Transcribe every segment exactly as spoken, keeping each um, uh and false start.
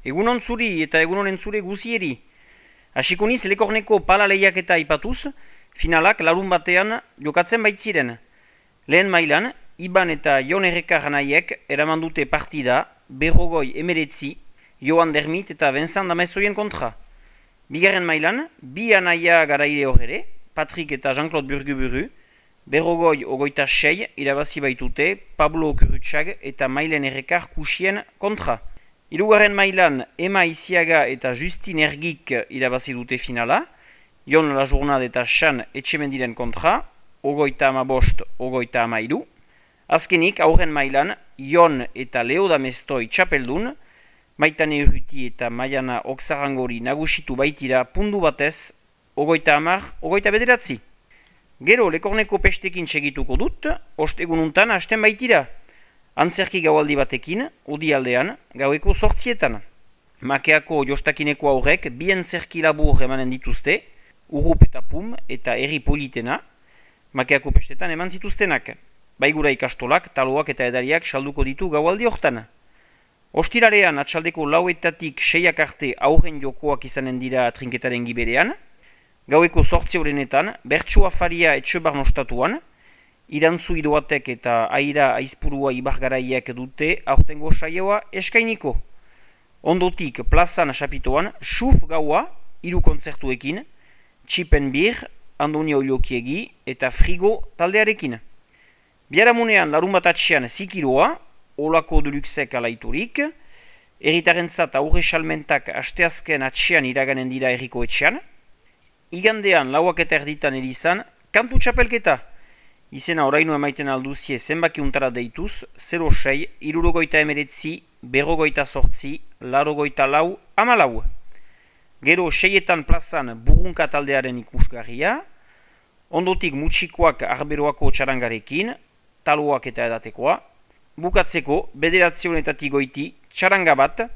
Egunon zuri eta egunon entzule guzieri. Hasiko niz Lekorneko pala lehiaketa ipatuz, finalak larun batean jokatzen baitziren. Lehen mailan, Iban eta Jon Errekar anaiek eraman dute partida berrogoi emeretzi, Joan Dermit eta Vincent Damezoien kontra. Bigarren mailan, bi anaia garaile horre, Patrick eta Jean-Claude Burguburu, berrogoi ogoita sei irabazi baitute Pablo Kurutxag eta Mailen Errekar kusien kontra. Hirugarren mailan Ema Iziaga eta Justin Ergik irabazi dute finala, Jon Lajurnad eta Xan Etxemendiren kontra, ogoita ama bost, ogoita ama iru. Azkenik, aurren mailan, Jon eta Leo Damestoi txapeldun, Maitane Urruti eta Maiana Oksarangori nagusitu baitira pundu batez, ogoita amar, ogoita bederatzi. Gero, Lekorneko pestekin segituko dut, ostegununtan hasten baitira. Antzerki gaualdi batekin, odi aldean, gaueko sortzietan. Makeako jostakineko aurrek bi antzerki labur emanen dituzte, Urrup eta Pum eta Herri Politena, Makeako pestetan eman zituztenak. Baigura ikastolak, taloak eta edariak salduko ditu gaualdi hortan. Ostirarean atxaldeko lauetatik seiak arte aurren jokoak izanen dira trinketaren giberean, gaueko sortzi horrenetan, bertsu afaria etxebar nostatuan, irantzu idoatek eta aira aizpurua ibargaraiek dute aurtengo saioa eskainiko. Ondotik plazan sapitoan, Xuf gaua, hiru kontzertuekin, Txipen Bir, Andoni Oiliokiegi eta Frigo taldearekin. Biaramunean larun bat atxean zikiroa, Olako Deluxek alaiturik, erritarentzat aurre salmentak asteazken atxean iraganen dira erriko etxean, igandean lauak eta erditan erizan, kantu txapelketa. Izena oraino emaiten alduzie zenbaki untara deituz, zero sei, irurogoita emeretzi, berrogoita sortzi, larogoita lau, amalau. Gero seietan plazan burrunka taldearen ikusgarria, ondotik mutxikoak arberoako txarangarekin, taloak eta edatekoa, bukatzeko bederatzionetatik goiti txaranga bat,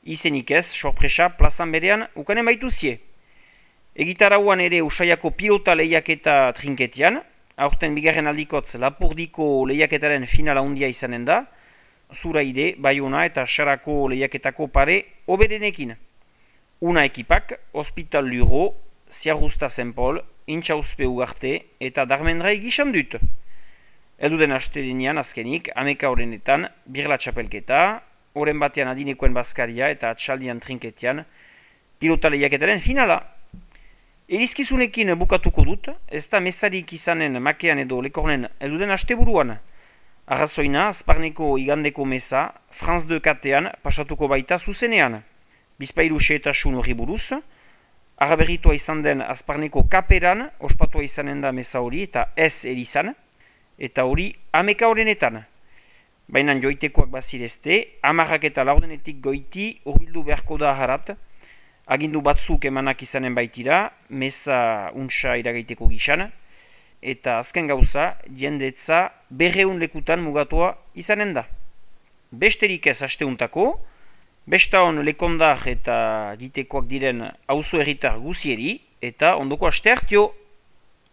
izenik ez, sorpresa plazan berean ukanen baituzie. Egitarauan ere Usaiako pilota lehiaketa trinketian, aurten bigarren aldikotz Lapurdiko lehiaketaren finala handia izanen da, Zuraide, Baiona eta Sarako lehiaketako pare oberenekin. Una ekipak, Hospital Luro, Ziarrusta Zenpol, Intxauzpe Ugarte eta Darmendrai gizan dut. Eduden astelenean azkenik, ameka horrenetan, birla txapelketa, horren batean adinekoen bazkaria eta atxaldian trinketian, pilota lehiaketaren finala. Erizkizunekin bukatuko dut, ez da mesarik izanen makean edo Lekornen eduden asteburuan. Arrazoina, Azparneko igandeko mesa, France deux katean pasatuko baita zuzenean. Bizpairu xeetasun hori buruz, araberritua izan den Azparneko kaperan, ospatua izanen da mesa hori eta ez erizan, eta hori ameka horrenetan. Baina joitekoak bazirezte, amarrak eta laurdenetik goiti urbildu beharko da harat, agindu batzuk emanak izanen baitira, mesa untsa iragaiteko gixan, eta azken gauza, jendetza berreun lekutan mugatua izanen da. Besterik ez asteuntako, besta hon lekondar eta ditekoak diren auzo herritar guzieri, eta ondoko aste hartio.